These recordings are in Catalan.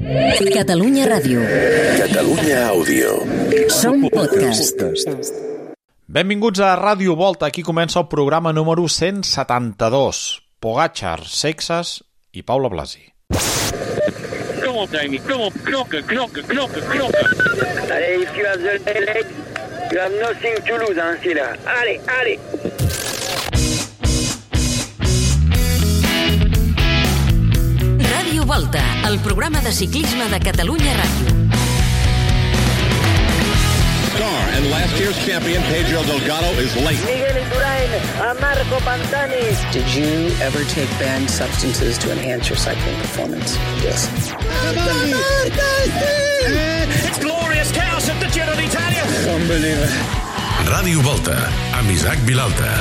Catalunya Ràdio. Catalunya Àudio. Som podcast. Benvinguts a Ràdio Volta. Aquí comença el programa número 172. Pogačar, Seixas i Paula Blasi. Come on, Jamie. Come on. Knocker. Allez, if you have the leg, you have nothing to lose, hein, c'est là. Allez. Ràdio Volta, el programa de ciclisme de Catalunya Ràdio. Star and last year's champion Pedro Delgado is late. Miguel Indurain, a Marco Pantani. Did you ever take banned substances to enhance your cycling performance? Yes. It's glorious chaos at the Giro d'Italia. Unbelievable. Ràdio Volta, amb Isaac Vilalta.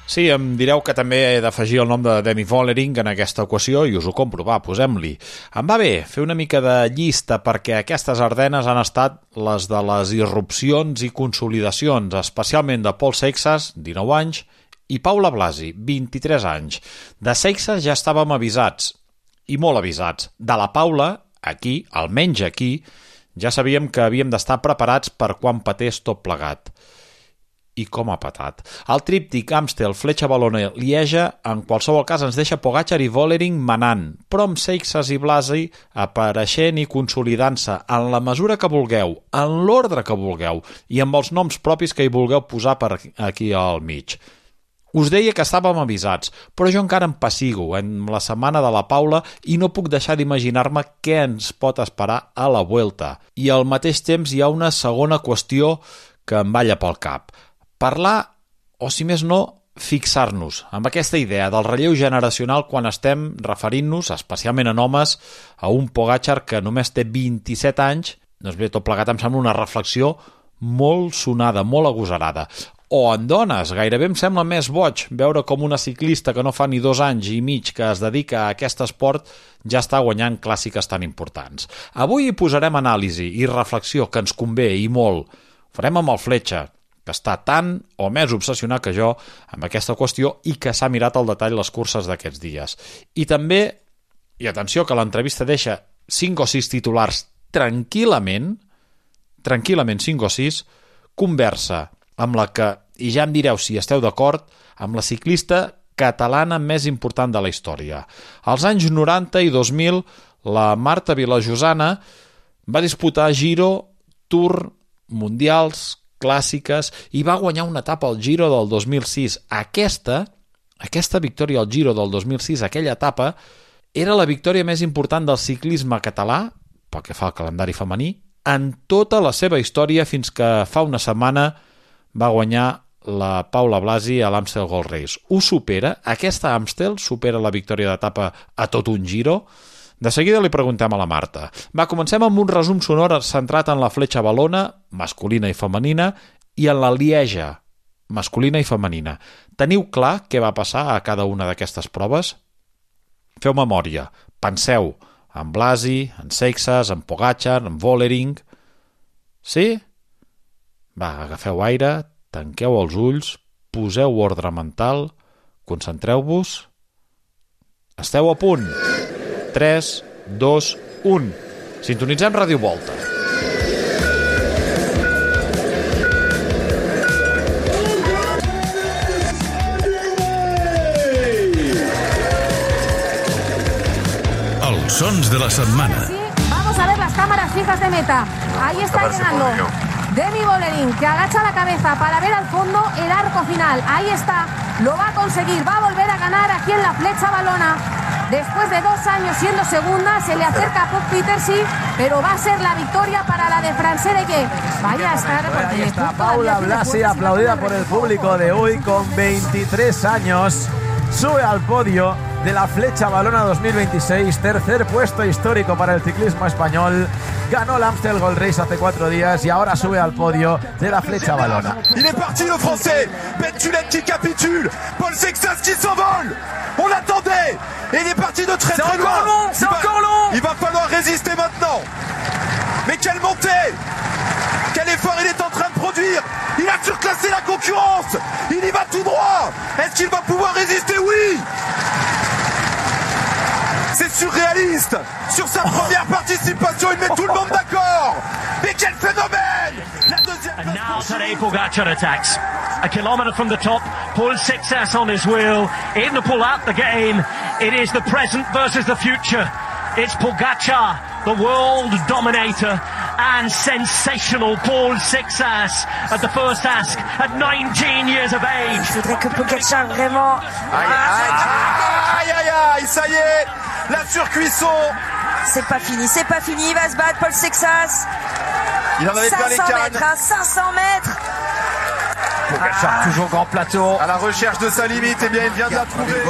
Sí, em direu que també he d'afegir el nom de Demi Vollering en aquesta equació i us ho compro, va, posem-li. Em va bé fer una mica de llista perquè aquestes Ardenes han estat les de les irrupcions i consolidacions, especialment de Pol Seixas, 19 anys, i Paula Blasi, 23 anys. De Seixas ja estàvem avisats, i molt avisats. De la Paula, aquí, almenys aquí, ja sabíem que havíem d'estar preparats per quan patés tot plegat. I com ha patat. El tríptic Amstel, Fletxa Valona, Lieja, en qualsevol cas ens deixa Pogačar i Vollering manant, però amb Seixas i Blasi apareixent i consolidant-se en la mesura que vulgueu, en l'ordre que vulgueu i amb els noms propis que hi vulgueu posar per aquí al mig. Us deia que estàvem avisats, però jo encara em pessigo en la setmana de la Paula i no puc deixar d'imaginar-me què ens pot esperar a la Vuelta. I al mateix temps hi ha una segona qüestió que em balla pel cap. Parlar, o si més no, fixar-nos amb aquesta idea del relleu generacional quan estem referint-nos, especialment en homes, a un Pogačar que només té 27 anys. Doncs bé, tot plegat em sembla una reflexió molt sonada, molt agosarada. O en dones, gairebé em sembla més boig veure com una ciclista que no fa ni 2 anys i mig que es dedica a aquest esport ja està guanyant clàssiques tan importants. Avui hi posarem anàlisi i reflexió que ens convé i molt. Ho farem amb el Fletxa, que està tan o més obsessionat que jo amb aquesta qüestió i que s'ha mirat al detall les curses d'aquests dies. I també, i atenció que l'entrevista deixa 5 o 6 titulars tranquil·lament 5 o 6, conversa amb la que, i ja em direu si esteu d'acord, amb la ciclista catalana més important de la història. Als anys 90 i 2000, la Marta Vilajosana va disputar Giro, Tour, Mundials, clàssiques i va guanyar una etapa al Giro del 2006. Aquesta victòria al Giro del 2006, aquella etapa, era la victòria més important del ciclisme català, pel que fa al calendari femení, en tota la seva història fins que fa una setmana va guanyar la Paula Blasi a l'Amstel Gold Race. Ho supera? Aquesta Amstel supera la victòria d'etapa a tot un Giro? De seguida li preguntem a la Marta. Va, comencem amb un resum sonor centrat en la Fletxa Valona, masculina i femenina, i en la Lieja, masculina i femenina. Teniu clar què va passar a cada una d'aquestes proves? Feu memòria, penseu en Blasi, en Seixas, en Pogačar, en Vollering. Sí? Va, agafeu aire, tanqueu els ulls, poseu ordre mental, concentreu-vos. Esteu a punt? 3, 2, 1. Sintonitzem Ràdio Volta. Els sons de la setmana. Vamos a ver las cámaras fijas de meta. Ahí está llegando Demi Vollering, que agacha la cabeza para ver al fondo el arco final. Ahí está, lo va a conseguir, va a volver a ganar aquí en la Fletxa Valona. Después de 2 años siendo segunda, se le acerca a Puk Pieterse, pero va a ser la victoria para la de Francesca, que vaya a estar... Ahí está Paula Blasi, aplaudida por el público de hoy, con 23 años. Sube al podio de la Fletxa Valona 2026, tercer puesto histórico para el ciclismo español. Ganó el Amstel Gold Race hace 4 días y ahora sube al podio de la Fletxa Valona. Il est parti le français. Bettulen qui capitule. Paul Seixas qui s'envole. On l'attendait. Et il est parti de très très loin. C'est encore long. Il va falloir résister maintenant. Mais quelle montée! Quel effort il est en train de produire! Il a surclassé la concurrence! Il y va tout droit! Est-ce qu'il va pouvoir résister? Oui! C'est surréaliste. Sur sa première participation, il met tout le monde d'accord. Mais quel phénomène! La deuxième place. And now Tadej Pogacar attacks. A kilometre from the top, Paul Sixas on his wheel. In to pull out the game. It is the present versus the future. It's Pogacar, the world dominator, and sensational Paul Sixas at the first ask at 19 years of age. Je voudrais que Pogacar vraiment... Aïe, aïe, aïe, ça y est, la surcuisson. C'est pas fini, il va se battre, Paul Sixas. Il en avait plein les cannes. 500 mètres. Pogacar, toujours grand plateau. À la recherche de sa limite, eh bien, il vient de la trouver.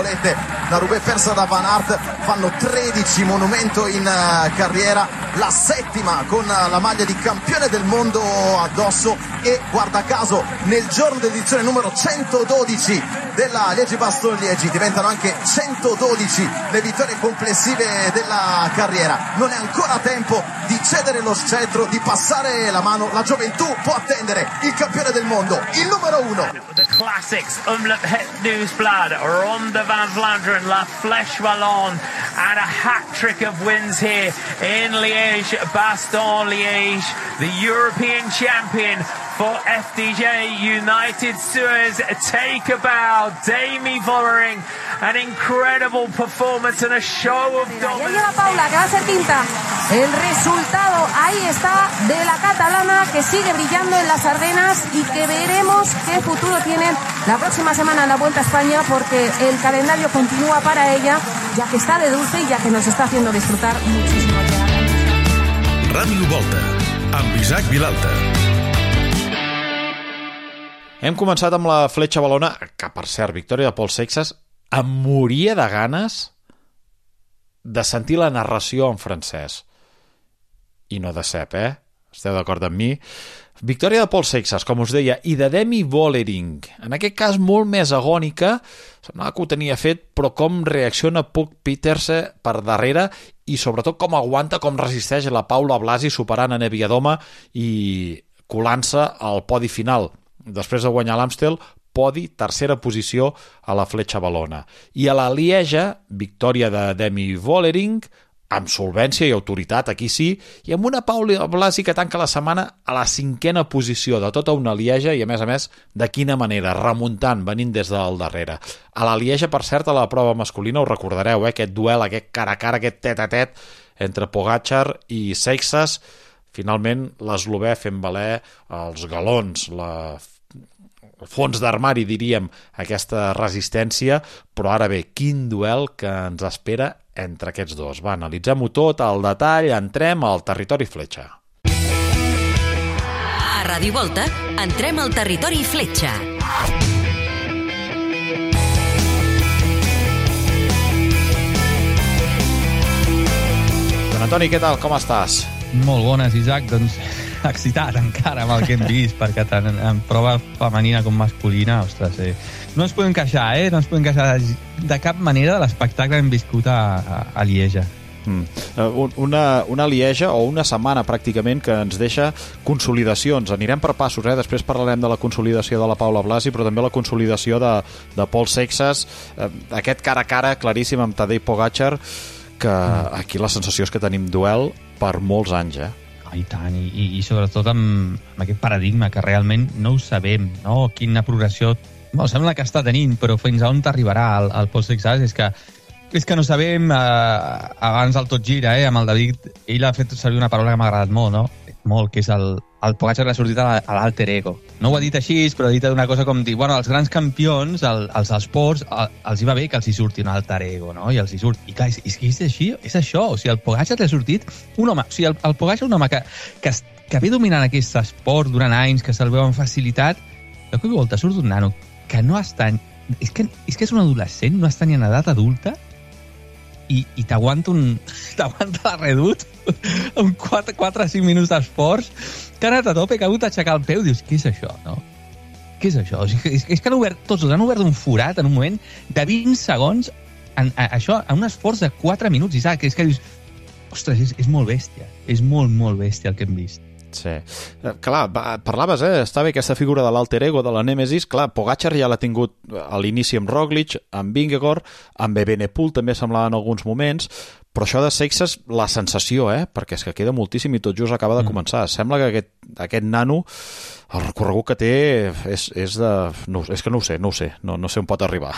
La Roubaix persa da Van Aert, fanno 13 monumento in carriera, la settima con la maglia di campione del mondo addosso e guarda caso nel giorno dell'edizione numero 112 della Liegi-Bastogne-Liegi diventano anche 112 le vittorie complessive della carriera. Non è ancora tempo di cedere lo scettro, di passare la mano, la gioventù può attendere il campione del mondo, il numero 1. The classics, Het Nieuwsblad, Ronde van Vlaanderen, La Flèche Wallonne, and a hat-trick of wins here in Liège, Bastogne-Liège, the European champion for FDJ United Suez. Take a bow, Demi Vollering, an incredible performance and a show of dominance. Ya llega Paula, que va a ser quinta. El resultado, ahí está, de la catalana que sigue brillando en las Ardenas y que veremos qué futuro tiene la próxima semana en la Vuelta a España, porque el calendario continúa para ella, ya que está de dulce y ya que nos está haciendo disfrutar muchísimo. Ràdio Volta, amb Isaac Vilalta. Hem començat amb la Fletxa Valona, que per cert, victòria de Paul Sixas. Em moria de ganes de sentir la narració en francès. I no de cep, Esteu d'acord amb mi? Victòria de Paul Sixas, com us deia, i de Demi Vollering. En aquest cas molt més agònica, semblava que ho tenia fet, però com reacciona Puk Pieterse per darrere i sobretot com aguanta, com resisteix la Paula Blasi superant a Neviadoma i colant-se al podi final. Després de guanyar l'Amstel, podi, tercera posició a la Fletxa Valona. I a la Lieja, victòria de Demi Vollering, amb solvència i autoritat, aquí sí, i amb una Paula Blasi que tanca la setmana a la 5a posició de tota una Lieja i, a més, de quina manera, remuntant, venint des del darrere. A la Lieja, per cert, a la prova masculina, us recordareu, aquest duel, aquest cara a cara, aquest tet-a-tet entre Pogacar i Seixas. Finalment, l'eslovè fent valer els galons, el fons d'armari, diríem, aquesta resistència, però ara bé, quin duel que ens espera entre aquests dos. Va, analitzem-ho tot al detall, entrem al territori Fletxa. A Ràdio Volta, entrem al territori Fletxa. Don Antoni, què tal? Com estàs? Molt bones, Isaac. Doncs excitat encara amb el que hem vist, perquè tant en prova femenina com masculina, ostres, no ens podem queixar, no ens podem queixar de cap manera de l'espectacle que hem viscut a Lieja. Una Lieja o una setmana pràcticament que ens deixa consolidacions. Anirem per passos, després parlarem de la consolidació de la Paula Blasi, però també la consolidació de Paul Seixas, aquest cara a cara claríssim amb Tadej Pogacar, que aquí la sensació és que tenim duel per molts anys, I tant, i sobretot amb aquest paradigma que realment no ho sabem, no? Quina progressió sembla que està tenint, però fins a on t'arribarà el Paul Sixas és que no sabem. Abans el Tot Gira, amb el David, ell ha fet servir una paraula que m'ha agradat molt, no? Molt, que és el Pogacar que l'ha sortit a l'alter ego. No ho ha dit així, però ha dit una cosa com dir, bueno, els grans campions, els esports, els hi va bé que els hi surti un alter ego, no? I els hi surt. I clar, és així, és això. O sigui, el Pogacar l'ha sortit un home, o sigui, el Pogacar un home que ve dominant aquest esport durant anys, que se'l veu amb facilitat, de cop i volta surt un nano que no està... És que és un adolescent, no està ni en edat adulta, i t'aguanta la redut amb 4 o 5 minuts d'esforç, que ha anat a tope, que ha hagut d'aixecar el peu, dius, què és això, no? Què és això? O sigui, és que tots han obert un forat en un moment de 20 segons en un esforç de 4 minuts, Isaac, és que dius, ostres, és molt bèstia, és molt, molt bèstia el que hem vist. Sí. Clar, parlaves, està bé aquesta figura de l'alter ego, de la Nèmesis. Clar, Pogačar ja l'ha tingut a l'inici amb Roglic, amb Vingegaard, amb Evenepoel també semblava en alguns moments, però això de Seixas, la sensació, perquè és que queda moltíssim i tot just acaba de començar. Sembla que aquest nano, el recorregut que té és que no ho sé, no sé on pot arribar.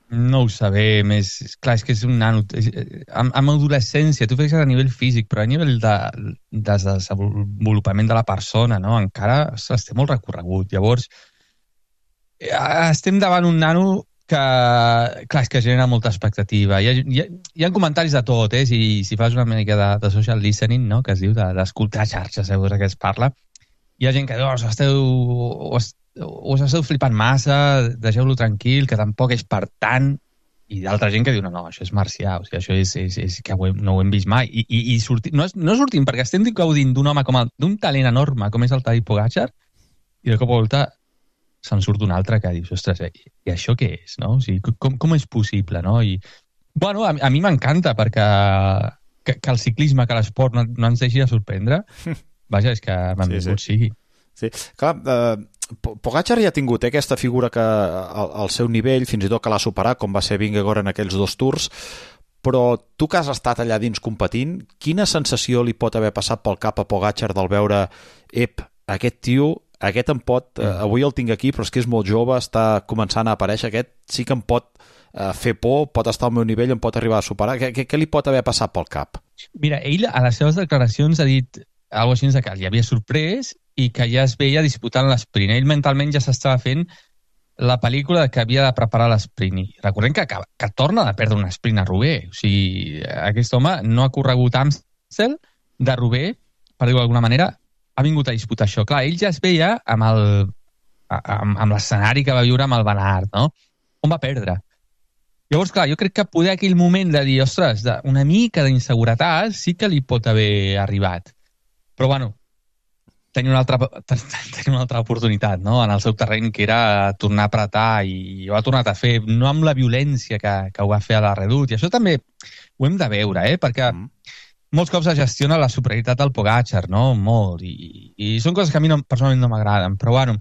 No ho sabem, és que és un nano. Amb adolescència, tu fixes a nivell físic, però a nivell de desenvolupament de la persona, no? Encara té molt recorregut. Llavors, estem davant un nano que, clar, és que genera molta expectativa. Hi ha comentaris de tot, si fas una mica de social listening, no? Que es diu d'escoltar xarxes, segons que es parla, hi ha gent que diu, us esteu flipant massa, deixeu-lo tranquil, que tampoc és per tant, i d'altra gent que diu, no, això és marcià, o sigui, això és que no ho hem vist mai. I no sortim, perquè estem gaudint d'un home d'un talent enorme, com és el Tadej Pogačar, i de cop a volta se'n surt un altre que dius, ostres, i això què és, no? O sigui, com és possible, no? I, bueno, a mi m'encanta, perquè que el ciclisme, que l'esport no ens deixi de sorprendre, vaja, és que benvingut sigui. Sí, clar, Pogačar ja ha tingut aquesta figura que al seu nivell, fins i tot que l'ha superat, com va ser Vingegaard en aquells 2 tours, però tu que has estat allà dins competint, quina sensació li pot haver passat pel cap a Pogačar del veure, aquest tio, aquest em pot, avui el tinc aquí, però és que és molt jove, està començant a aparèixer, aquest sí que em pot fer por, pot estar al meu nivell, em pot arribar a superar, què li pot haver passat pel cap? Mira, ell a les seves declaracions ha dit alguna cosa així que li havia sorprès i que ja es veia disputant l'esprint. Ell mentalment ja s'estava fent la pel·lícula que havia de preparar l'esprint. I recordem que torna a perdre un sprint a Roubaix. O sigui, aquest home no ha corregut Amstel de Roubaix, per dir-ho d'alguna manera, ha vingut a disputar això. Clar, ell ja es veia amb l'escenari que va viure amb el Van Aert, no? On va perdre. Llavors, clar, jo crec que poder aquell moment de dir, ostres, una mica d'inseguretat sí que li pot haver arribat. Però, bueno, tenia una altra oportunitat, no?, en el seu terreny, que era tornar a apretar, i ho ha tornat a fer, no amb la violència que ho va fer a la Redoute, i això també ho hem de veure, perquè molts cops es gestiona la superioritat del Pogačar, no?, molt, i són coses que a mi personalment no m'agraden, però bueno,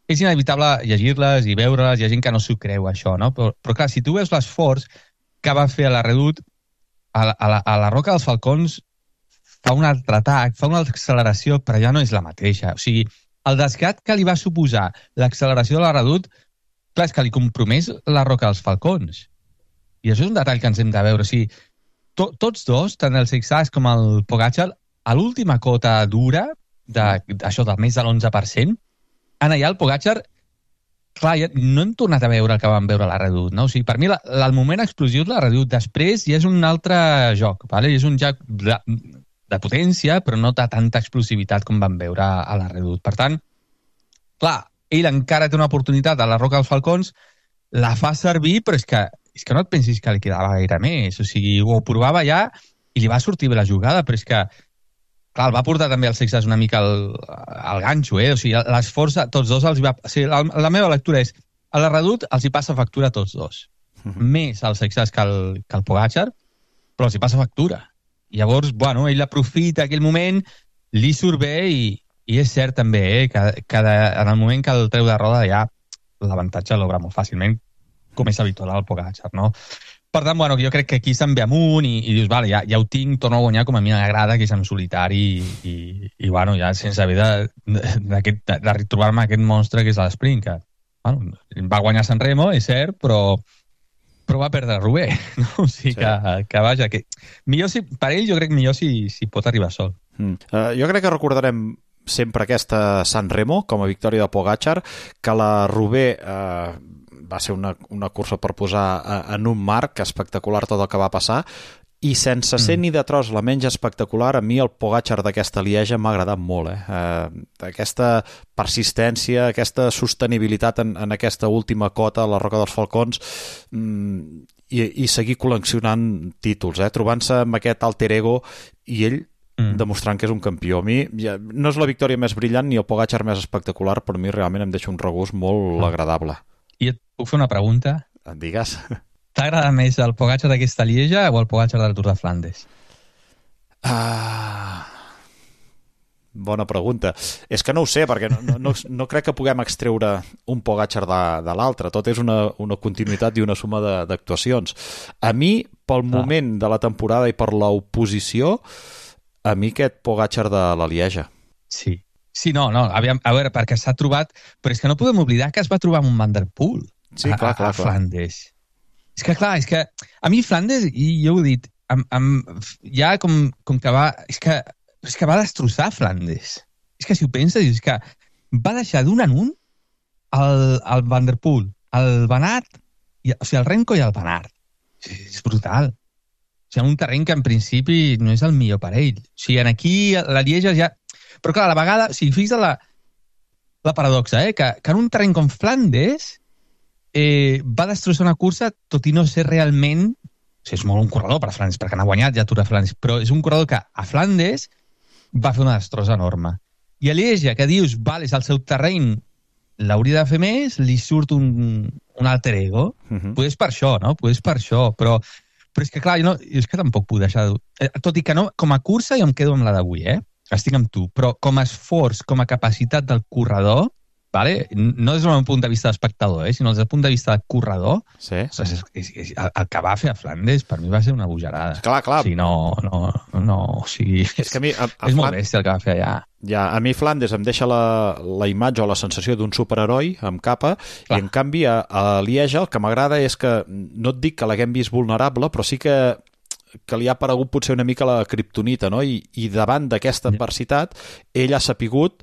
és inevitable llegir-les i veure-les, hi ha gent que no s'ho creu, això, no?, però clar, si tu veus l'esforç que va fer a la Redoute, a la Roca dels Falcons fa un altre atac, fa una acceleració, però ja no és la mateixa. O sigui, el desgat que li va suposar l'acceleració de la Redoute, clar, és que li compromès la Roca dels Falcons. I això és un detall que ens hem de veure. O sigui, tots dos, tant el Seixas com el Pogačar, a l'última cota dura, això del més de l'11%, en allà el Pogačar, clar, ja no hem tornat a veure el que vam veure a la Redoute, no? O sigui, per mi el moment explosiu de la Redoute després ja és un altre joc, vale? És un joc de potència, però no de tanta explosivitat com vam veure a la Redoute. Per tant, clar, ell encara té una oportunitat a la Roca dels Falcons, la fa servir, però és que no et pensis que li quedava gaire més. O sigui, ho provava ja i li va sortir bé la jugada, però és que, clar, el va portar també el Seixas una mica al ganxo, O sigui, l'esforç a tots dos els va... O sigui, la meva lectura és, a la Redoute els hi passa factura a tots dos. Més al Seixas que al Pogačar, però els hi passa factura. I llavors, bueno, ell aprofita aquell moment, li surt bé i és cert també que en el moment que el treu de roda ja l'avantatge l'obre molt fàcilment, com és habitual al Pogačar, no? Per tant, bueno, jo crec que aquí se'n ve amunt i dius, vale, ja ho tinc, torno a guanyar com a mi m'agrada, que és en solitari i bueno, ja sense haver de retrobar-me aquest monstre que és l'esprint, que bueno, va guanyar Sanremo, és cert, però va perdre Roubaix, no? O sigui, sí. que vaja, que millor per ell jo crec millor si pot arribar sol. Jo crec que recordarem sempre aquesta Sanremo com a victòria de Pogačar, que la Roubaix va ser una cursa per posar en un marc espectacular tot el que va passar, i sense ser ni de tros la menys espectacular, a mi el Pogačar d'aquesta Lieja m'ha agradat molt. Aquesta persistència, aquesta sostenibilitat en aquesta última cota, la Roca dels Falcons, i seguir col·leccionant títols, trobant-se amb aquest alter ego i ell demostrant que és un campió. A mi no és la victòria més brillant ni el Pogačar més espectacular, però a mi realment em deixa un regust molt agradable. I et puc fer una pregunta? Digues. T'agrada més el Pogačar d'aquesta Lieja o el Pogačar del Tour de Flandes? Bona pregunta. És que no ho sé, perquè no crec que puguem extreure un Pogačar de l'altre. Tot és una continuïtat i una suma d'actuacions. A mi, pel moment de la temporada i per l'oposició, a mi aquest Pogačar de la Lieja. Sí. Sí, no, aviam, a veure, perquè s'ha trobat... Però és que no podem oblidar que es va trobar amb un Van der Poel a Flandes. És que, clar, a mi Flandes, i jo ho he dit, ja com que va... És que va destrossar Flandes. És que si ho penses, és que va deixar d'un en un el Van der Poel, el Van Aert, o sigui, el Renko i el Van Aert. És brutal. O sigui, un terreny que en principi no és el millor per ell. O sigui, aquí la Lieja ja... Però clar, a la vegada, o sigui, fixa't la paradoxa, que en un terreny com Flandes va destrossar una cursa, tot i no ser realment... O sigui, és molt un corredor per a Flandes, perquè n'ha guanyat ja Tour de Flandes, però és un corredor que a Flandes va fer una destrossa enorme. I a Lieja, que dius, és el seu terreny, l'hauria de fer més, li surt un alter ego. Pues per això, no? Pues per això, però és que, clar, jo és que tampoc puc deixar... Tot i que no, com a cursa jo em quedo amb la d'avui, estic amb tu, però com a esforç, com a capacitat del corredor, no des del punt de vista d'espectador, sinó des del punt de vista del corredor, el que va fer a Flandes per mi va ser una bojarada. Clar. O sigui, o sigui, és molt bèstia el que va fer allà. Ja, a mi Flandes em deixa la imatge o la sensació d'un superheroi amb capa, i en canvi a Lieja el que m'agrada és que, no et dic que l'haguem vist vulnerable, però sí que li ha aparegut potser una mica la kriptonita, no? I davant d'aquesta adversitat ell ha sapigut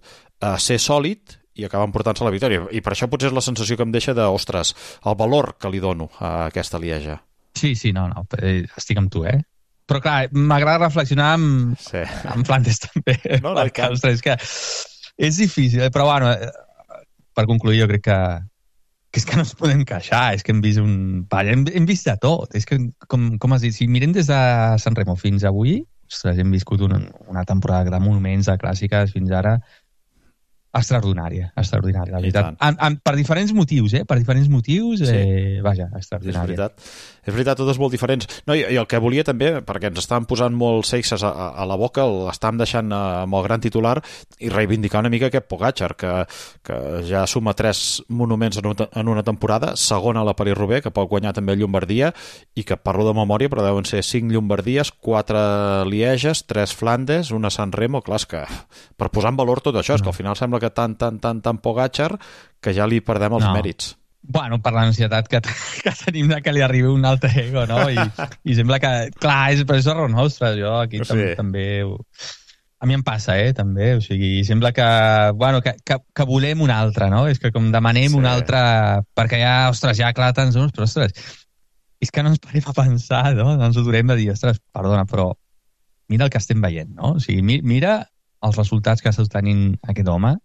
ser sòlid i acabar emportant-se la victòria. I per això potser és la sensació que em deixa ostres, el valor que li dono a aquesta Lieja. Sí, no, estic amb tu, Però clar, m'agrada reflexionar amb Flandes també. No, ostres, és que és difícil, però bueno, per concluir jo crec que és que no ens podem queixar, és que hem vist hem vist de tot, és que, com has dit, si mirem des de Sant Remo fins avui, ostres, hem viscut una temporada de monuments, de clàssiques, fins ara, extraordinària, la veritat. Per diferents motius, vaja, extraordinària. És veritat, totes molt diferents. No, i el que volia també, perquè ens estaven posant molt seixes a la boca, l'estàvem deixant amb el gran titular i reivindicar una mica aquest Pogačar, que ja suma 3 monuments en una temporada, segona a la París-Roubaix, que pot guanyar també Llombardia, i que parlo de memòria, però deuen ser 5 Llombardies, 4 Lieges, 3 Flandes, una Sant Remo. Clar, és que per posar en valor tot això, és que al final sembla que tant Pogačar que ja li perdem els mèrits. Bueno, per l'ansietat que tenim de que li arribi un altre ego, no? I sembla que, clar, però és error nostre, jo aquí també... A mi em passa, també, o sigui, sembla que volem un altre, no? És que com demanem un altre, perquè ja, ostres, ja clar, tants uns, però ostres, és que no ens parem a pensar, no? No ens ho durem de dir, ostres, perdona, però mira el que estem veient, no? O sigui, mira els resultats que està tenint aquest home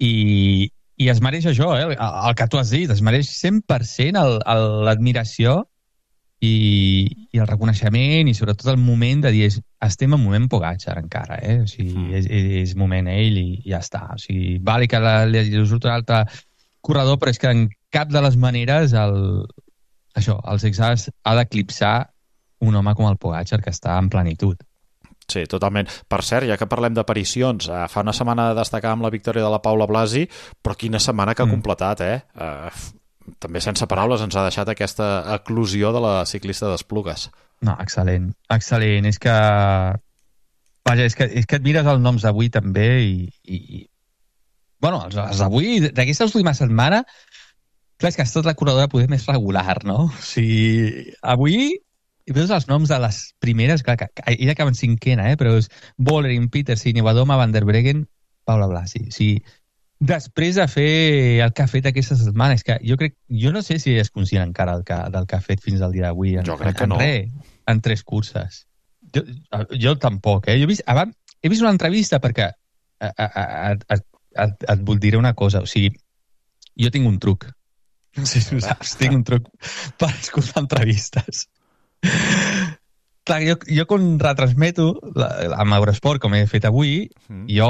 i es mereix això, el que tu has dit, es mereix 100% l'admiració i el reconeixement i sobretot el moment de dir estem en moment Pogačar encara, o sigui, és moment ell i ja està. O sigui, vale que li surt un altre corredor, però és que en cap de les maneres el Sexas ha d'eclipsar un home com el Pogačar que està en plenitud. Sí, totalment. Per cert, ja que parlem d'aparicions, fa una setmana destacàvem la victòria de la Paula Blasi, però quina setmana que ha completat, també sense paraules ens ha deixat aquesta eclosió de la ciclista d'Esplugues. No, excel·lent. És que... Vaja, és que et mires els noms d'avui també i... Bueno, els d'avui, d'aquesta última setmana, clar, és que ha estat la corredora poder més regular, no? O sigui, avui... I veus els noms de les primeres, clar, que ella acaba en 5ª, però és Vollering, Petersen, Nevadoma, Van der Breggen, Paula Blasi. O sigui, després de fer el que ha fet aquesta setmana, és que jo no sé si és conscient encara del que ha fet fins al dia d'avui. Jo crec que no. En 3 curses. Jo tampoc, Jo he vist una entrevista perquè et vull dir una cosa, o sigui, jo tinc un truc. No sé si ho saps, tinc un truc per escoltar entrevistes. Clar, jo quan retransmeto amb Eurosport, com he fet avui, jo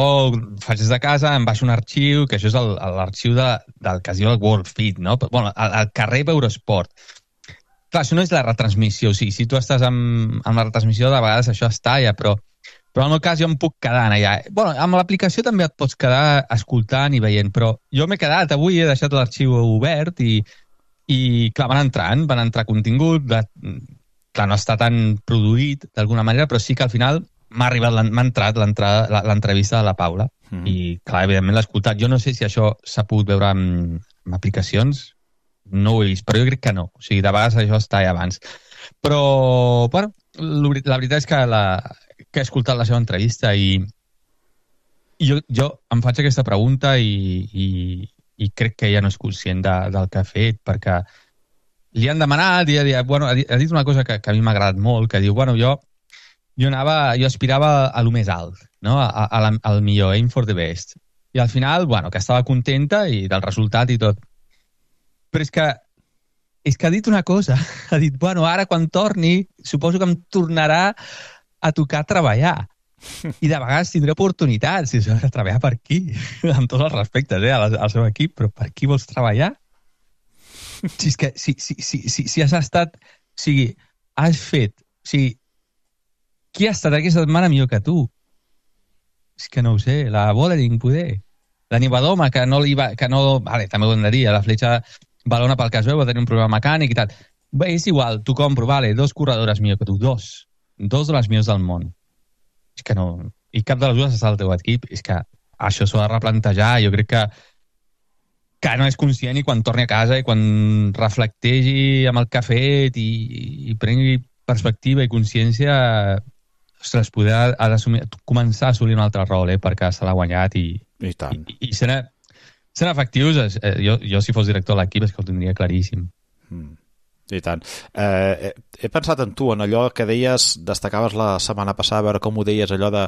faig des de casa, em baixo un arxiu, que això és l'arxiu del que es diu el World Feed, no? Bueno, el que rep Eurosport. Clar, això no és la retransmissió, o sigui, si tu estàs amb la retransmissió, de vegades això es talla, però Però en el cas jo em puc quedar allà. Bueno, amb l'aplicació també et pots quedar escoltant i veient, però jo m'he quedat avui, he deixat l'arxiu obert i clar, van entrar contingut, clar, no està tan produït d'alguna manera, però sí que al final m'ha entrat l'entrevista de la Paula i clar, evidentment l'he escoltat. Jo no sé si això s'ha pogut veure amb aplicacions, no ho he vist, però jo crec que no. O sigui, de vegades això està allà abans. Però, bueno, la veritat és que he escoltat la seva entrevista i jo em faig aquesta pregunta i crec que ella no és conscient del que ha fet, perquè li han demanat i ha dit una cosa que a mi m'ha agradat molt, que diu, bueno, jo aspirava a lo més alt, no? al millor, aim for the best. I al final, bueno, que estava contenta i del resultat i tot. Però és que ha dit una cosa, ha dit, bueno, ara quan torni, suposo que em tornarà a tocar treballar. I de vegades tindré oportunitats de treballar per aquí, amb tots els respectes al seu equip, però per qui vols treballar? Si és que si has estat... O sigui, has fet... O sigui, qui ha estat aquesta setmana millor que tu? És que no ho sé, la Vollering, poder. La Niewiadoma, que no li va... Vale, també ho hem de dir, la Fletxa Valona pel que es veu va tenir un problema mecànic i tal. Bé, és igual, t'ho compro, vale, 2 corredores millor que tu, 2 de les millors del món. És que no... I cap de les dues està al teu equip. És que això s'ho ha de replantejar. Jo crec que no és conscient i quan torni a casa i quan reflectegi amb el que ha fet i prengui perspectiva i consciència, ostres, ha d'assumir, començar a assolir un altre rol, perquè se l'ha guanyat i sent efectius. Jo, si fos director de l'equip, és que ho tindria claríssim. I tant. He pensat en tu, en allò que deies, destacaves la setmana passada, a veure com ho deies, allò de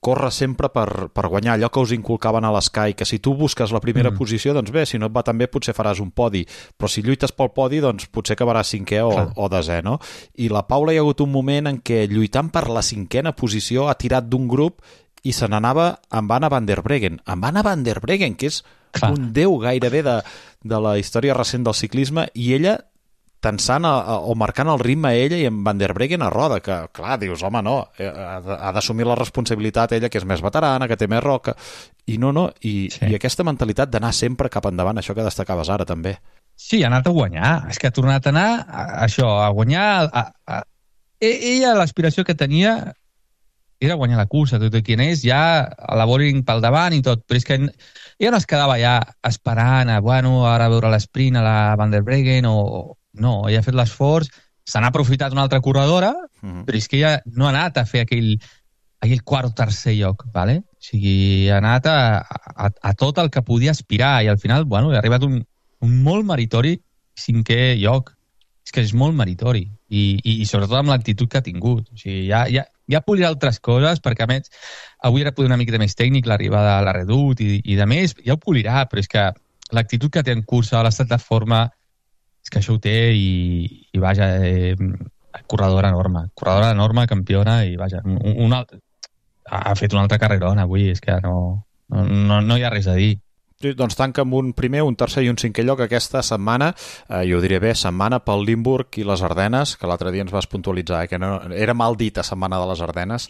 córrer sempre per guanyar, allò que us inculcaven a l'Sky, que si tu busques la primera posició, doncs bé, si no et va tan bé potser faràs un podi, però si lluites pel podi, doncs potser acabaràs 5è o 10è, no? I la Paula hi ha hagut un moment en què lluitant per la 5a posició ha tirat d'un grup i se n'anava amb Anna van der Breggen. Amb Anna van der Breggen, que és un déu gairebé de la història recent del ciclisme, i ella tensant o marcant el ritme a ella i en Van der Breggen a roda, que clar, dius, home, no, ha d'assumir la responsabilitat ella, que és més veterana, que té més roca, i i aquesta mentalitat d'anar sempre cap endavant, això que destacaves ara també. Sí, ha anat a guanyar, és que ha tornat a anar a guanyar. Ella, l'aspiració que tenia era guanyar la cursa, tot i quin és, ja a la Vollering pel davant i tot, però és que ella no es quedava ja esperant ara veure l'esprint a la Van der Breggen no, ella ha fet l'esforç, se n'ha aprofitat una altra corredora, però és que ella no ha anat a fer aquell quart o tercer lloc, ¿vale? O sigui, ha anat a tot el que podia aspirar i al final, ha arribat un molt meritori 5è lloc. És que és molt meritori i sobretot amb l'actitud que ha tingut. O sigui, ja polirà altres coses, perquè a més avui era poder una mica més tècnic l'arribada a la Redoute i de més, ja ho polirà, però és que l'actitud que té en cursa, l'estat de forma, és que això ho té i vaja, corredora enorme, campiona i vaja, ha fet una altra carrerona avui, és que no hi ha res a dir. Sí, doncs tanca amb un primer, un tercer i un 5è lloc aquesta setmana, jo ho diré bé, setmana pel Limburg i les Ardenes, que l'altre dia ens vas puntualitzar, que no, era mal dita setmana de les Ardenes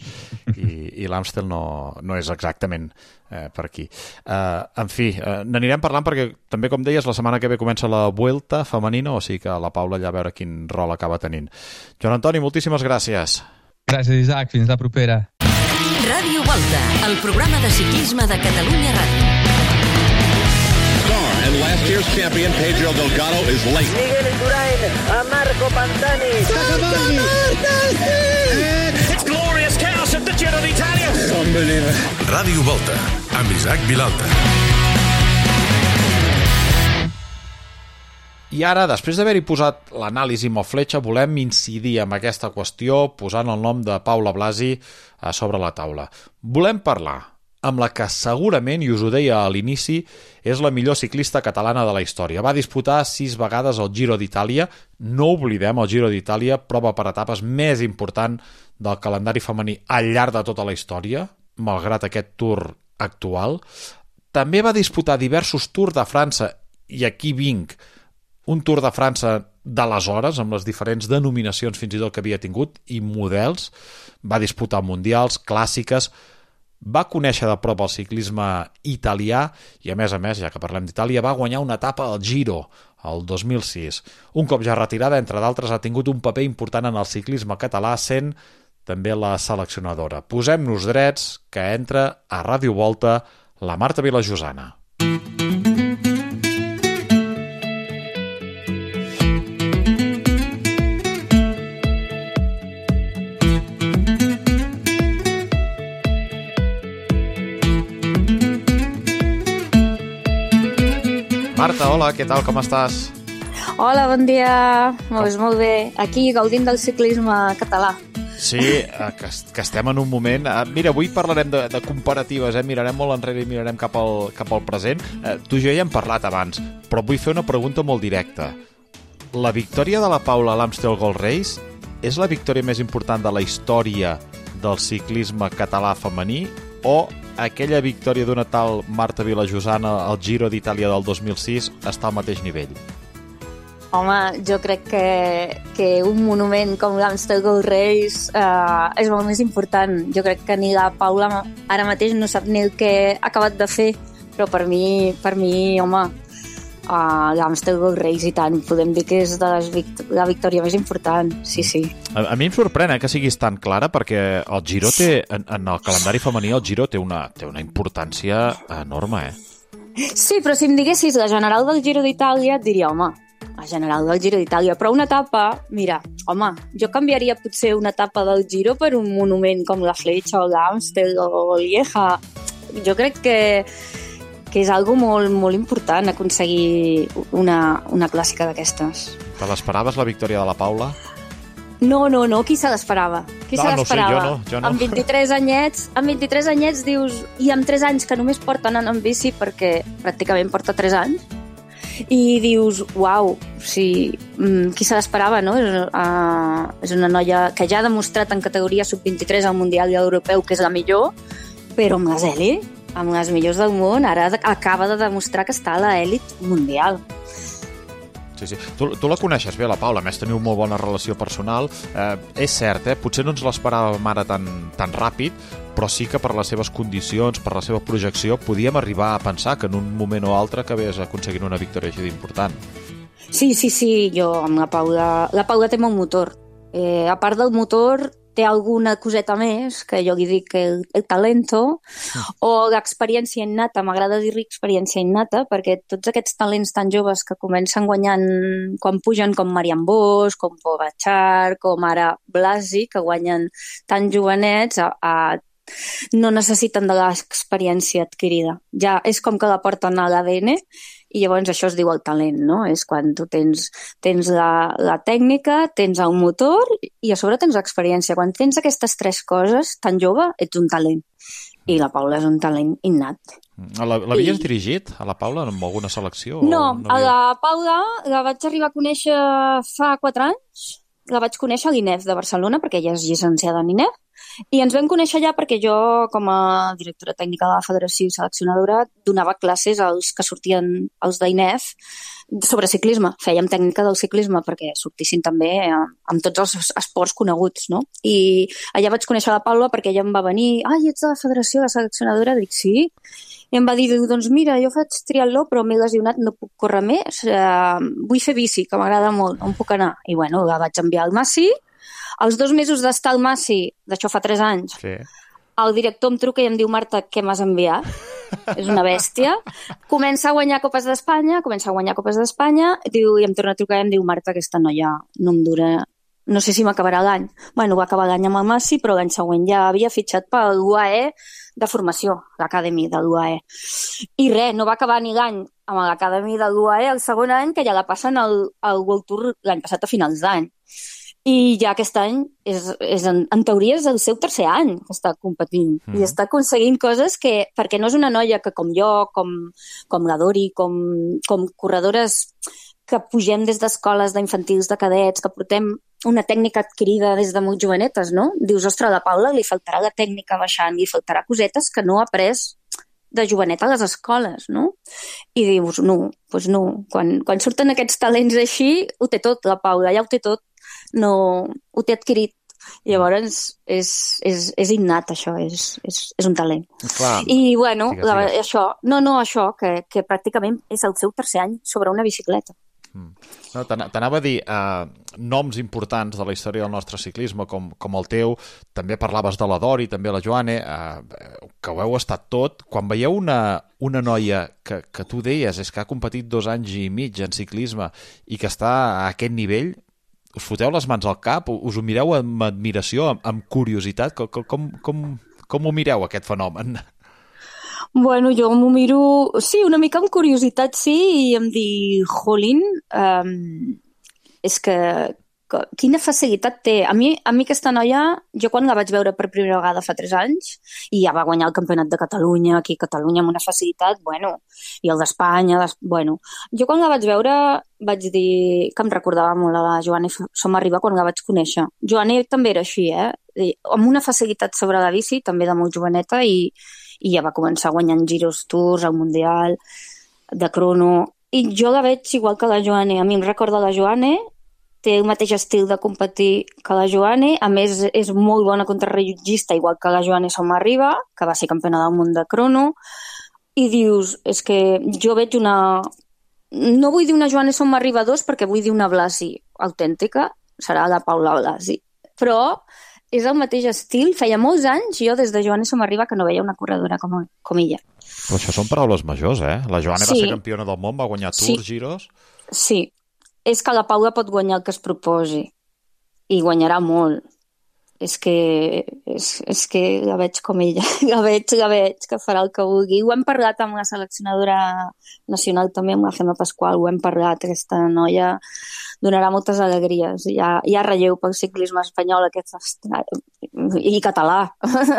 i l'Amstel no és exactament per aquí. En fi, n'anirem parlant perquè també, com deies, la setmana que ve comença la Vuelta femenina, o sigui que la Paula ja a veure quin rol acaba tenint. Joan Antoni, moltíssimes gràcies. Gràcies, Isaac, fins la propera. Ràdio Volta, el programa de ciclisme de Catalunya Ràdio. And last year's champion Pedro Delgado is late. Miguel Indurain a Marco Pantani. It's glorious chaos at the Giro d'Italia. Unbelievable. Ràdio Volta, amb Isaac Vilalta. I ara, després d'haver-hi posat l'anàlisi amb el Fletxa, volem incidir en aquesta qüestió posant el nom de Paula Blasi a sobre la taula. Volem parlar amb la que segurament, i us ho deia a l'inici, és la millor ciclista catalana de la història. Va disputar 6 vegades el Giro d'Itàlia. No oblidem, el Giro d'Itàlia, prova per etapes més important del calendari femení al llarg de tota la història, malgrat aquest Tour actual. També va disputar diversos Tours de França, i aquí vinc. Un Tour de França d'aleshores, amb les diferents denominacions fins i tot que havia tingut i models, va disputar mundials, clàssiques, va conèixer de prop el ciclisme italià i, a més, ja que parlem d'Itàlia, va guanyar una etapa al Giro, el 2006. Un cop ja retirada, entre d'altres, ha tingut un paper important en el ciclisme català, sent també la seleccionadora. Posem-nos drets, que entra a Ràdio Volta la Marta Vilajosana. Marta, hola, què tal, com estàs? Hola, bon dia. Molt bé. Aquí, gaudint del ciclisme català. Sí, que estem en un moment... Mira, avui parlarem de comparatives, mirarem molt enrere i mirarem cap al present. Tu i jo ja hem parlat abans, però vull fer una pregunta molt directa. La victòria de la Paula a l'Amstel Gold Race és la victòria més important de la història del ciclisme català femení o aquella victòria d'una tal Marta Vilajosana al Giro d'Itàlia del 2006 està al mateix nivell? Home, jo crec que un monument com l'Amstel Gold Race és molt més important. Jo crec que ni la Paula ara mateix no sap ni el que ha acabat de fer, però per mi home, l'Amstel Gold Race i tant, podem dir que és la victòria més important, sí. A mi em sorprèn que siguis tan clara, perquè el Giro té, en el calendari femení, el Giro té una importància enorme, Sí, però si em diguessis la general del Giro d'Itàlia, et diria, home, la general del Giro d'Itàlia, però una etapa, mira, home, jo canviaria potser una etapa del Giro per un monument com la Fletxa o l'Amstel o Lieja. Jo crec que és algo molt, molt important aconseguir una clàssica d'aquestes. Te l'esperaves, la victòria de la Paula? No, qui se l'esperava? No sé, jo no. Amb 23 anyets dius, i amb 3 anys que només porta anant en bici, perquè pràcticament porta 3 anys, i dius, uau, sí, qui se l'esperava, no? És una noia que ja ha demostrat en categoria sub-23 al Mundial i a l'Europeu que és la millor, però amb les elit, amb les millors del món, ara acaba de demostrar que està a l'elit mundial. Sí. Tu la coneixes bé, la Paula, a més teniu molt bona relació personal. És cert, potser no ens l'esperàvem ara tan ràpid, però sí que per les seves condicions, per la seva projecció, podíem arribar a pensar que en un moment o altre acabés aconseguint una victòria així d'important. Sí, jo amb la Paula té molt motor. A part del motor, té alguna coseta més, que jo li dic el talento, o l'experiència innata. M'agrada dir-li experiència innata, perquè tots aquests talents tan joves que comencen guanyant quan pugen, com Marian Bosch, com Pogačar, com ara Blasi, que guanyen tan jovenets, no necessiten de l'experiència adquirida. Ja és com que la porten a l'ADN, i llavors això es diu el talent, no? És quan tu tens la tècnica, tens el motor i a sobre tens l'experiència. Quan tens aquestes 3 coses, tan jove, ets un talent. I la Paula és un talent innat. L'havies dirigit, a la Paula, amb alguna selecció? No, a la Paula la vaig arribar a conèixer fa 4 anys. La vaig conèixer a l'INEF de Barcelona, perquè ella és llicenciada en INEF, i ens vam conèixer allà perquè jo, com a directora tècnica de la Federació i seleccionadora, donava classes als que sortien els d'INEF sobre ciclisme. Fèiem tècnica del ciclisme perquè sortissin també amb tots els esports coneguts, no? I allà vaig conèixer la Paula perquè ella em va venir, ets de la Federació de seleccionadora? Dic, sí. I em va dir, doncs mira, jo faig triatló però m'he lesionat, no puc córrer més, vull fer bici, que m'agrada molt, on puc anar? I bueno, la vaig enviar al Massi. Als 2 mesos d'estar al Massi, d'això fa 3 anys, el director em truca i em diu, Marta, què m'has enviat? És una bèstia. Comença a guanyar Copes d'Espanya, diu, i em torna a trucar i em diu, Marta, aquesta noia no em dura, no sé si m'acabarà l'any. Bueno, va acabar l'any amb el Massi, però l'any següent ja havia fitxat per l'UAE de formació, l'Academy de l'UAE. I no va acabar ni l'any amb l'Academy de l'UAE el segon any, que ja la passen al World Tour l'any passat a finals d'any. I ja aquest any, en teoria, és el seu 3è any que està competint. I està aconseguint coses que, perquè no és una noia que com jo, com la Dori, com corredores que pugem des d'escoles d'infantils, de cadets, que portem una tècnica adquirida des de molt jovenetes, no? Dius, ostres, a la Paula li faltarà la tècnica baixant, li faltarà cosetes que no ha après de jovenet a les escoles, no? I dius, no, doncs no. Quan surten aquests talents així, ho té tot, la Paula, ja ho té tot. No, ho té adquirit. Llavors, és innat, això, és un talent. Clar. I, bueno, Digues. això, que pràcticament és el seu tercer any sobre una bicicleta. No, t'anava a dir noms importants de la història del nostre ciclisme com el teu, també parlaves de la Dori, també la Joane, que ho heu estat tot. Quan veieu una noia que tu deies és que ha competit 2 anys i mig en ciclisme i que està a aquest nivell, us foteu les mans al cap? Us ho mireu amb admiració, amb curiositat? Com ho mireu, aquest fenomen? Bueno, jo m'ho miro, sí, una mica amb curiositat, sí, i em dic, jolín, és que quina facilitat té. A mi aquesta noia, jo quan la vaig veure per primera vegada fa 3 anys, i ja va guanyar el Campionat de Catalunya, aquí a Catalunya amb una facilitat, bueno, i el d'Espanya, bueno. Jo quan la vaig veure vaig dir que em recordava molt a la Joane Somarriba quan la vaig conèixer. Joane també era així, amb una facilitat sobre la bici, també de molt joveneta, i ja va començar guanyant Giros Tours, el Mundial, de crono. I jo la veig igual que la Joane. A mi em recorda la Joane, té el mateix estil de competir que la Joane, a més és molt bona contrarrellotgista, igual que la Joane Somarriba, que va ser campiona del món de crono, i dius, és que jo veig una... No vull dir una Joane Somarriba 2 perquè vull dir una Blasi autèntica, serà la Paula Blasi, però és el mateix estil. Feia molts anys, jo des de Joane Somarriba, que no veia una corredora com ella. Però això són paraules majors, La Joane va ser campiona del món, va guanyar Tours, Giros... Sí, és que la Paula pot guanyar el que es proposi i guanyarà molt. És que la veig com ella, la veig que farà el que vulgui. Ho hem parlat amb la seleccionadora nacional també, amb la Gemma Pasqual, ho hem parlat, aquesta noia donarà moltes alegries. Hi ha relleu pel ciclisme espanyol i català,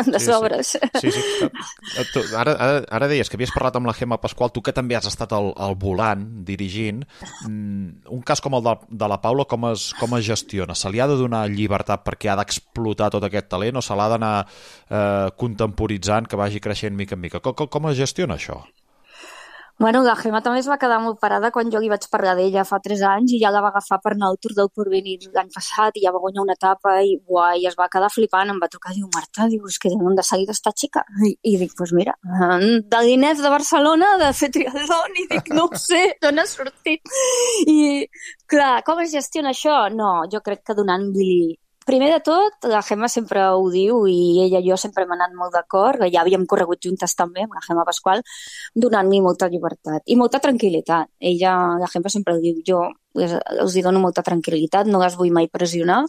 de sobres. Sí. Ara deies que havies parlat amb la Gemma Pasqual, tu que també has estat al volant, dirigint. Un cas com el de la Paula, com es gestiona? Se li ha de donar llibertat perquè ha d'explotar tot aquest talent o se l'ha d'anar contemporitzant, que vagi creixent mica en mica? Com es gestiona això? Bueno, la Gemma també es va quedar molt parada quan jo li vaig parlar d'ella fa 3 anys i ja la va agafar per anar al Tour del Porvenir l'any passat i ja va guanyar una etapa i es va quedar flipant, em va trucar i diu, Marta, és que d'on de seguida està xica? I dic, doncs mira, de l'Inef de Barcelona, de fer triatlon, i dic, no ho sé, d'on ha sortit? I, clar, com es gestiona això? No, jo crec que donant-li... Primer de tot, la Gemma sempre ho diu i ella i jo sempre hem anat molt d'acord, ja havíem corregut juntes també amb la Gemma Pasqual, donant-li molta llibertat i molta tranquil·litat. La Gemma sempre ho diu, jo els dono molta tranquil·litat, no les vull mai pressionar.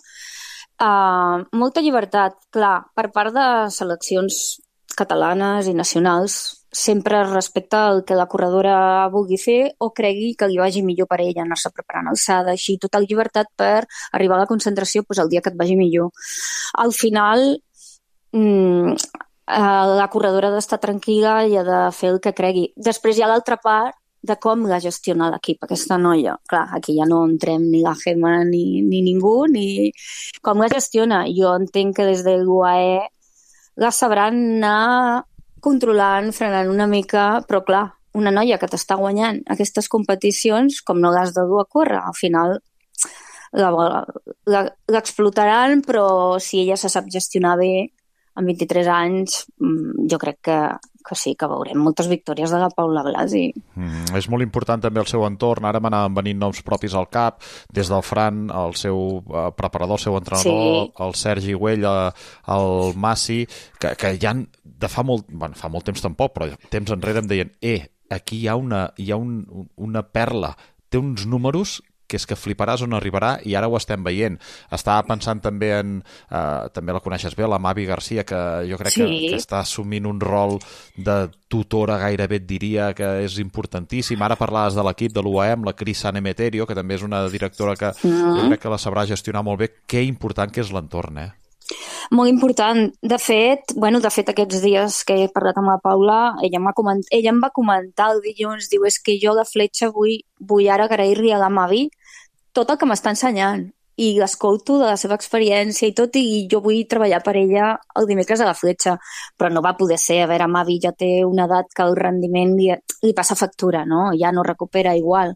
Molta llibertat, clar, per part de seleccions catalanes i nacionals, sempre respecta el que la corredora vulgui fer o cregui que li vagi millor per ella, anar-se preparant alçada, així, total llibertat per arribar a la concentració el dia que et vagi millor. Al final, la corredora ha d'estar tranquil·la i ha de fer el que cregui. Després hi ha l'altra part de com la gestiona l'equip, aquesta noia. Clar, aquí ja no entrem ni la Gemma ni ningú, ni com la gestiona. Jo entenc que des de l'UAE la sabran anar controlant, frenant una mica, però clar, una noia que t'està guanyant aquestes competicions, com no l'has de dur a córrer, al final l'explotaran, però si ella se sap gestionar bé, amb 23 anys, jo crec que sí, que veurem moltes victòries de la Paula Blasi. És molt important també el seu entorn. Ara m'anaven venint noms propis al cap, des del Fran, el seu preparador, el seu entrenador, el Sergi Güell, el Massi, que ja de fa molt temps tampoc, però temps enrere em deien aquí hi ha una perla, té uns números que és que fliparàs on arribarà i ara ho estem veient. Estava pensant també també la coneixes bé, la Mavi Garcia, que jo crec que està assumint un rol de tutora, gairebé et diria, que és importantíssim. Ara parlaves de l'equip de l'UAM, la Cris Sanemeterio, que també és una directora que jo crec que la sabrà gestionar molt bé. Que important que és l'entorn, Molt important. De fet, aquests dies que he parlat amb la Paula, ella em va comentar el dilluns, diu, és que jo la fletxa vull ara agrair-li a la Mavi tot el que m'està ensenyant. i l'escolto de la seva experiència i tot, i jo vull treballar per ella el dimecres a la Fletxa, però no va poder ser. A veure, Mavi ja té una edat que el rendiment li passa factura, no? Ja no recupera igual.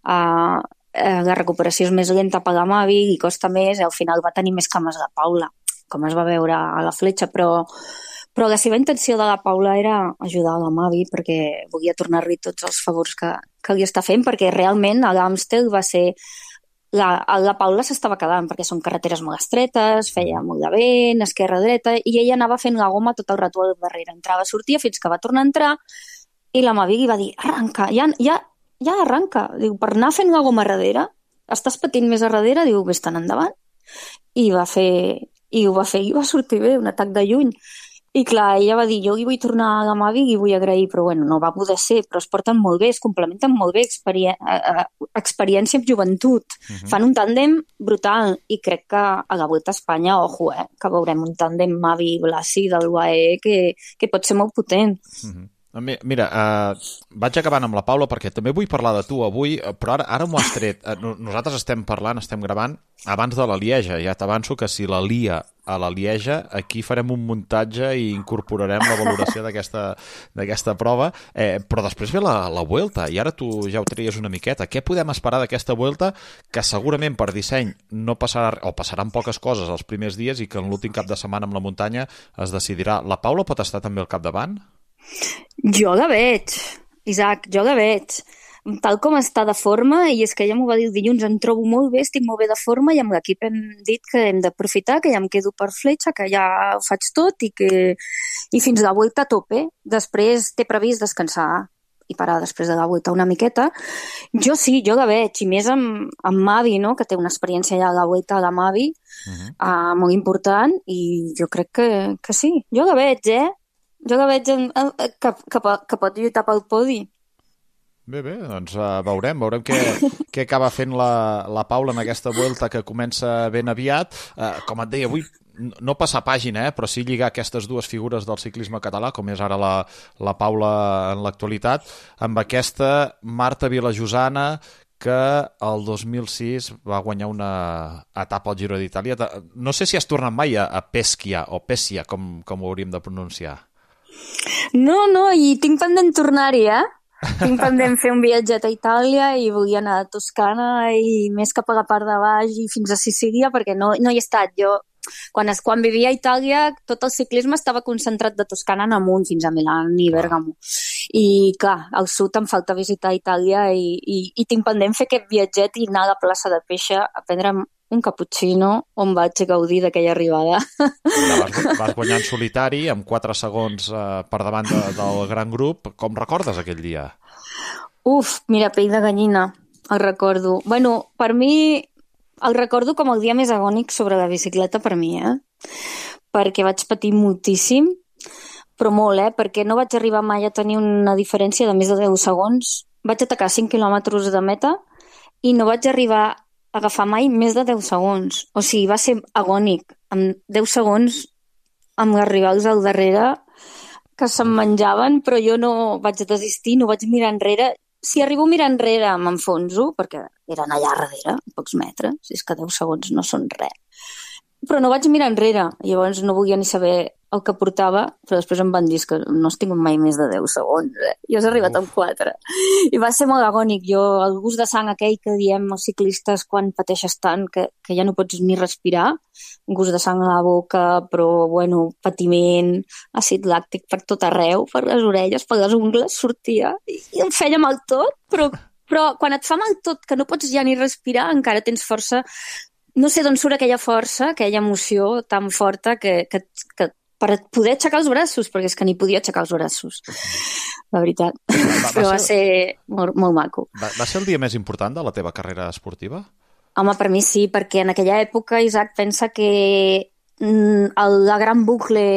La recuperació és més lenta per la Mavi i costa més, i al final va tenir més cames la Paula, com es va veure a la Fletxa, però la seva intenció de la Paula era ajudar la Mavi perquè volia tornar-li tots els favors que li està fent, perquè realment a l'Amstel va ser... La Paula s'estava quedant perquè són carreteres molt estretes, feia molt de vent, esquerra-dreta, i ella anava fent la goma tot el rato al darrere. Entrava, sortia, fins que va tornar a entrar, i la Mavi li va dir, arranca, ja arranca. Diu, per anar fent la goma a darrere, estàs patint més a darrere? Diu, vés-te'n endavant. I ho va fer, i va sortir bé, un atac de lluny. I clar, ella va dir, jo li vull tornar a la Mavi i vull agrair, però bueno, no va poder ser, però es porten molt bé, es complementen molt bé, experiència amb joventut. Fan un tàndem brutal, i crec que a la Vuelta a Espanya, ojo, que veurem un tàndem Mavi-Blasi del UAE que pot ser molt potent. Mira, vaig acabant amb la Paula perquè també vull parlar de tu avui, però ara m'ho has tret. Nosaltres estem gravant abans de la Lieja. Ja t'avanço que si la lia a la Lieja, aquí farem un muntatge i incorporarem la valoració d'aquesta prova, però després ve la Vuelta, i ara tu ja ho treies una miqueta. Què podem esperar d'aquesta Vuelta, que segurament per disseny no passarà, o passaran poques coses els primers dies, i que en l'últim cap de setmana amb la muntanya es decidirà? La Paula pot estar també al capdavant? Jo la veig, Isaac, jo la veig. Tal com està de forma, i és que ella m'ho va dir el dilluns, em trobo molt bé, estic molt bé de forma, i amb l'equip hem dit que hem d'aprofitar, que ja em quedo per Fletxa, que ja ho faig tot, i fins a la Vuelta a tope. Després té previst descansar i parar després de la Vuelta una miqueta. Jo sí, jo la veig, i més amb Mavi, no?, que té una experiència ja a la Vuelta a la Mavi, molt important, i jo crec que sí. Jo la veig, Jo la veig que pot lluitar pel podi. Bé, doncs veurem què acaba fent la Paula en aquesta Vuelta que comença ben aviat. Com et deia, avui no passar pàgina, però sí lligar aquestes dues figures del ciclisme català, com és ara la Paula en l'actualitat, amb aquesta Marta Vilajosana, que el 2006 va guanyar una etapa al Giro d'Itàlia. No sé si has tornat mai a Pescia, o Pescia, com ho hauríem de pronunciar. No, i tinc pendent tornar-hi, Tinc pendent fer un viatget a Itàlia, i volia anar a Toscana i més cap a la part de baix i fins a Sicília, perquè no hi he estat. Jo, quan vivia a Itàlia, tot el ciclisme estava concentrat de Toscana en amunt, fins a Milà i Bèrgamo. I clar, al sud em falta visitar Itàlia, i tinc pendent fer aquest viatget i anar a la plaça de Péixer a prendre un cappuccino on vaig gaudir d'aquella arribada. Vas guanyar en solitari amb 4 segons per davant del gran grup. Com recordes aquell dia? Mira, pell de gallina, el recordo. Bueno, per mi el recordo com el dia més agònic sobre la bicicleta per mi, perquè vaig patir moltíssim, però molt, perquè no vaig arribar mai a tenir una diferència de més de 10 segons. Vaig atacar 5 quilòmetres de meta i no vaig arribar agafar mai més de 10 segons. O sigui, va ser agònic. Amb 10 segons, amb els rivals al darrere, que se'm menjaven, però jo no vaig desistir, no vaig mirar enrere. Si arribo a mirar enrere, m'enfonso, perquè eren allà darrere, a pocs metres. És que 10 segons no són res. Però no vaig mirar enrere. Llavors no volia ni saber el que portava, però després em van dir que no has tingut mai més de 10 segons. Jo has arribat amb 4. I va ser molt agònic. Jo, el gust de sang aquell que diem els ciclistes quan pateixes tant que ja no pots ni respirar, un gust de sang a la boca, però, bueno, patiment, àcid làctic per tot arreu, per les orelles, per les ungles, sortia, i em feia mal tot, però quan et fa mal tot, que no pots ja ni respirar, encara tens força. No sé d'on surt aquella força, aquella emoció tan forta que per poder aixecar els braços, perquè és que ni podia aixecar els braços, la veritat. Però va ser molt maco. Va ser el dia més important de la teva carrera esportiva? Home, per mi sí, perquè en aquella època, Isaac, pensa que la gran bucle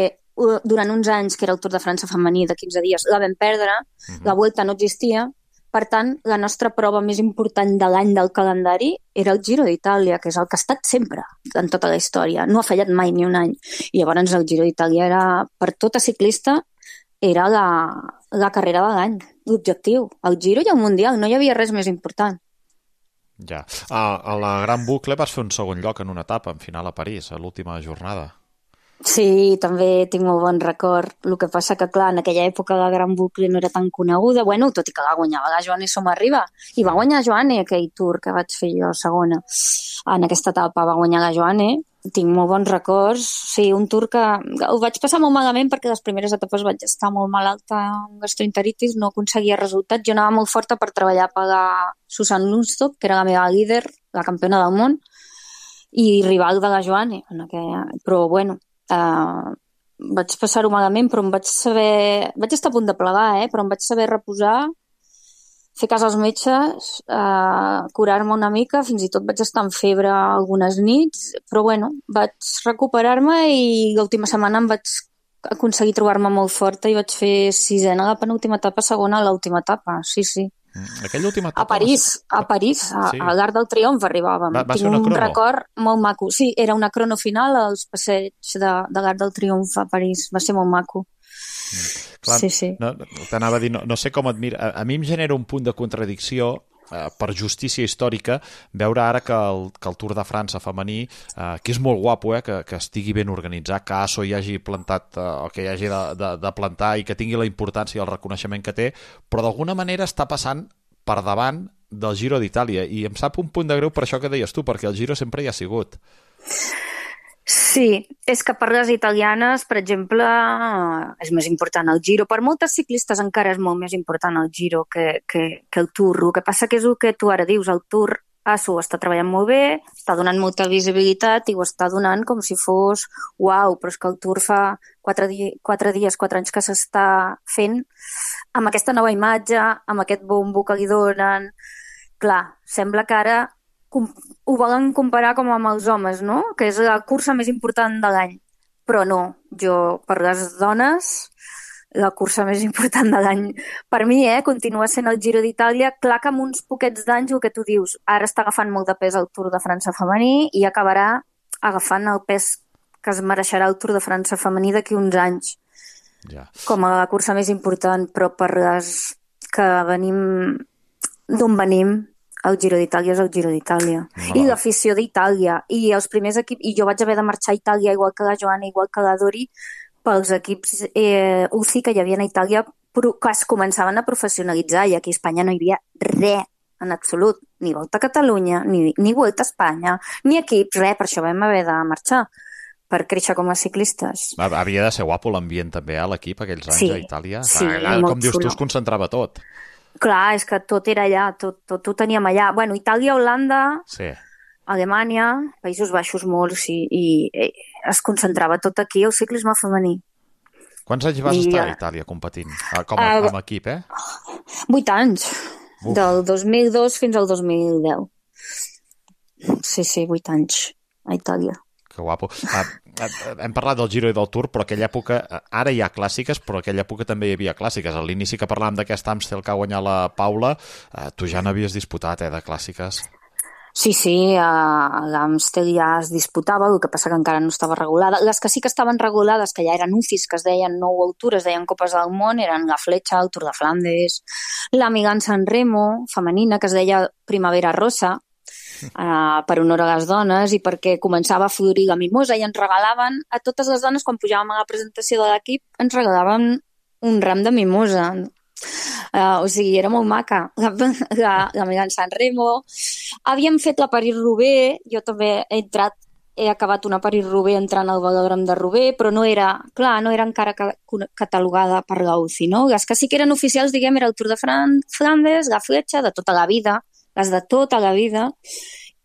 durant uns anys, que era el Tour de França femení de 15 dies, la vam perdre, la Vuelta no existia. Per tant, la nostra prova més important de l'any del calendari era el Giro d'Itàlia, que és el que ha estat sempre en tota la història. No ha fallat mai ni un any. I llavors el Giro d'Itàlia era, per tota ciclista, era la carrera de l'any, l'objectiu. El Giro i el Mundial, no hi havia res més important. Ja. A la Gran Bucle vas fer un segon lloc en una etapa, en final a París, a l'última jornada. Sí, també tinc molt bon record. El que passa que, clar, en aquella època la Gran Bucle no era tan coneguda, bueno, tot i que la guanyava la Joane Somarriba. I va guanyar Joane aquell Tour que vaig fer jo segona. En aquesta etapa va guanyar la Joane. Tinc molt bons records. Sí, un Tour que ho vaig passar molt malament perquè les primeres etapes vaig estar molt malalta amb gastroenteritis, no aconseguia resultats. Jo anava molt forta per treballar per la Susan Lundstock, que era la meva líder, la campiona del món, i rival de la Joane. Però, bueno, vaig passar-ho malament, però vaig estar a punt de plegar, però em vaig saber reposar, fer cas als metges, curar-me una mica, fins i tot vaig estar en febre algunes nits, però bueno, vaig recuperar-me i l'última setmana em vaig aconseguir trobar-me molt forta i vaig fer sisena a la penúltima etapa, segona a l'última etapa, sí. Aquella última etapa... A París, sí. a l'Arc del Triomf arribàvem. Tinc un record molt maco. Sí, era una crono final als passeig de l'Arc del Triomf a París. Va ser molt maco. Clar, sí. T'anava a dir, no sé com et mira. A mi em genera un punt de contradicció per justícia històrica veure ara que el Tour de França femení, que és molt guapo, que estigui ben organitzat, que ASO hi hagi plantat el que hi hagi de plantar i que tingui la importància i el reconeixement que té, però d'alguna manera està passant per davant del Giro d'Itàlia i em sap un punt de greu per això que deies tu, perquè el Giro sempre hi ha sigut. Sí, és que per les italianes, per exemple, és més important el Giro. Per moltes ciclistes encara és molt més important el Giro que el Tour. El que passa que és el que tu ara dius, el Tour ASO està treballant molt bé, està donant molta visibilitat i ho està donant com si fos uau, però és que el Tour fa 4 anys que s'està fent amb aquesta nova imatge, amb aquest bombo que li donen. Clar, sembla que ara ho volen comparar com amb els homes, no? Que és la cursa més important de l'any. Però no, per les dones, la cursa més important de l'any. Per mi, continua sent el Giro d'Itàlia. Clar que amb uns poquets d'anys, el que tu dius, ara està agafant molt de pes el Tour de França femení i acabarà agafant el pes que es mereixerà el Tour de França femení d'aquí uns anys. Ja. Com a la cursa més important, però per les que venim d'on venim, el Giro d'Itàlia és el Giro d'Itàlia. I l'afició d'Itàlia. I els primers equips... I jo vaig haver de marxar a Itàlia, igual que la Joana, igual que la Dori, pels equips UCI que hi havia a Itàlia, que es començaven a professionalitzar, i aquí a Espanya no hi havia res, en absolut. Ni Volta a Catalunya, ni Volta a Espanya, ni equips, res. Per això vam haver de marxar, per créixer com a ciclistes. Havia de ser guapo l'ambient també a l'equip aquells anys a Itàlia. Sí, com dius tu, es concentrava tot. Clar, és que tot era allà, tot ho teníem allà. Bueno, Itàlia, Holanda, sí. Alemanya, Països Baixos molts, i es concentrava tot aquí, el ciclisme femení. Quants anys vas estar a Itàlia competint? Com a equip, 8 anys. Uf. Del 2002 fins al 2010. Sí, 8 anys a Itàlia. Que guapo. Hem parlat del Giro i del Tour, però aquella època, ara hi ha clàssiques, però aquella època també hi havia clàssiques. A l'inici que parlàvem d'aquest Amstel que ha guanyat la Paula, tu ja n'havies disputat, de clàssiques. Sí, l'Amstel ja es disputava, el que passa que encara no estava regulada. Les que sí que estaven regulades, que ja eren UCIs, que es deien nou Tour, es deien Copes del Món, eren la Fletxa, el Tour de Flandes, la Milan San Remo, femenina, que es deia Primavera Rosa, per honor a les dones i perquè començava a florir la mimosa i ens regalaven a totes les dones, quan pujàvem a la presentació de l'equip, ens regalaven un ram de mimosa. O sigui, era molt maca. La Milan San Remo. Havíem fet la París-Roubaix, jo també he acabat una París-Roubaix entrant al velòdrom de Roubaix, però no era encara catalogada per la UCI, no? Les que sí que eren oficials, diguem, era el Tour de Flandes, la Fletxa, de tota la vida, les de tota la vida,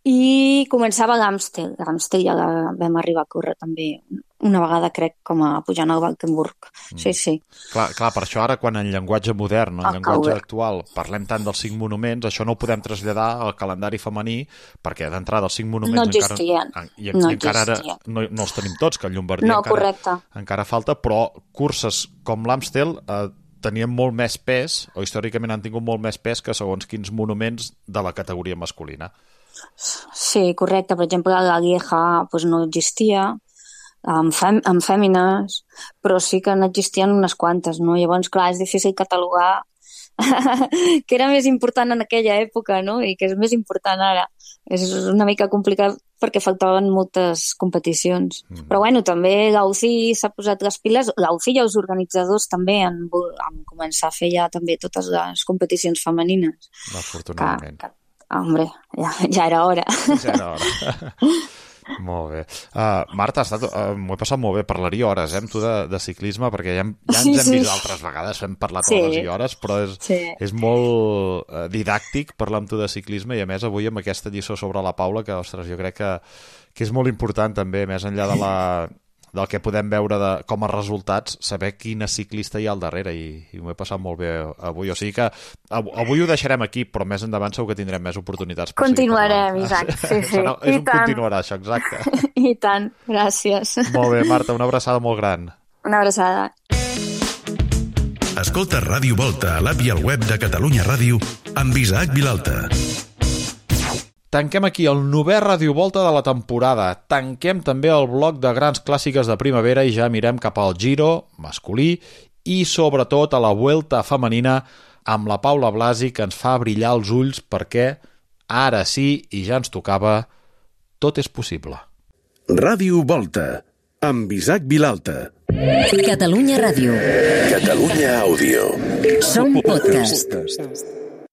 i començava l'Amstel. L'Amstel ja la vam arribar a córrer també una vegada, crec, com a pujant al Valkenburg. Sí. Clar, per això ara, quan en llenguatge modern, en llenguatge actual, parlem tant dels 5 monuments, això no ho podem traslladar al calendari femení, perquè d'entrada els 5 monuments no existien. Encara ara no els tenim tots, que el Llombardia encara falta, però curses com l'Amstel tenien molt més pes, o històricament han tingut molt més pes que segons quins monuments de la categoria masculina. Sí, correcte. Per exemple, la Lieja no existia, amb fèmines, però sí que n'existien unes quantes, no? Llavors, clar, és difícil catalogar que era més important en aquella època, no? I que és més important ara. És una mica complicat perquè faltaven moltes competicions. Però bueno, també l'AUCI s'ha posat les piles, l'AUCI i els organitzadors també han començat a fer ja també totes les competicions femenines. Afortunadament. Hombre, ja era hora. Ja era hora. Molt bé. Marta, m'ho he passat molt bé. Parlaria hores amb tu de ciclisme, perquè ja ens hem vist altres vegades, hem parlat hores i hores, però és molt didàctic parlar amb tu de ciclisme, i a més avui amb aquesta lliçó sobre la Paula, que, ostres, jo crec que és molt important també, més enllà del que podem veure com a resultats, saber quina ciclista hi ha al darrere, i m'ho he passat molt bé avui. O sigui que avui ho deixarem aquí, però més endavant segur que tindrem més oportunitats. Continuarem, Isaac. Sí. És un continuarà, això, exacte. I tant, gràcies. Molt bé, Marta, una abraçada molt gran. Una abraçada. Escolta Ràdio Volta a l'app i al web de Catalunya Ràdio amb Isaac Vilalta. Tanquem aquí el 9è Ràdio Volta de la temporada. Tanquem també el bloc de grans clàssiques de primavera i ja mirem cap al Giro masculí i sobretot a la Vuelta femenina amb la Paula Blasi, que ens fa brillar els ulls perquè ara sí, i ja ens tocava, tot és possible. Ràdio Volta amb Isaac Vilalta. Catalunya Ràdio. Catalunya Àudio. Som podcast.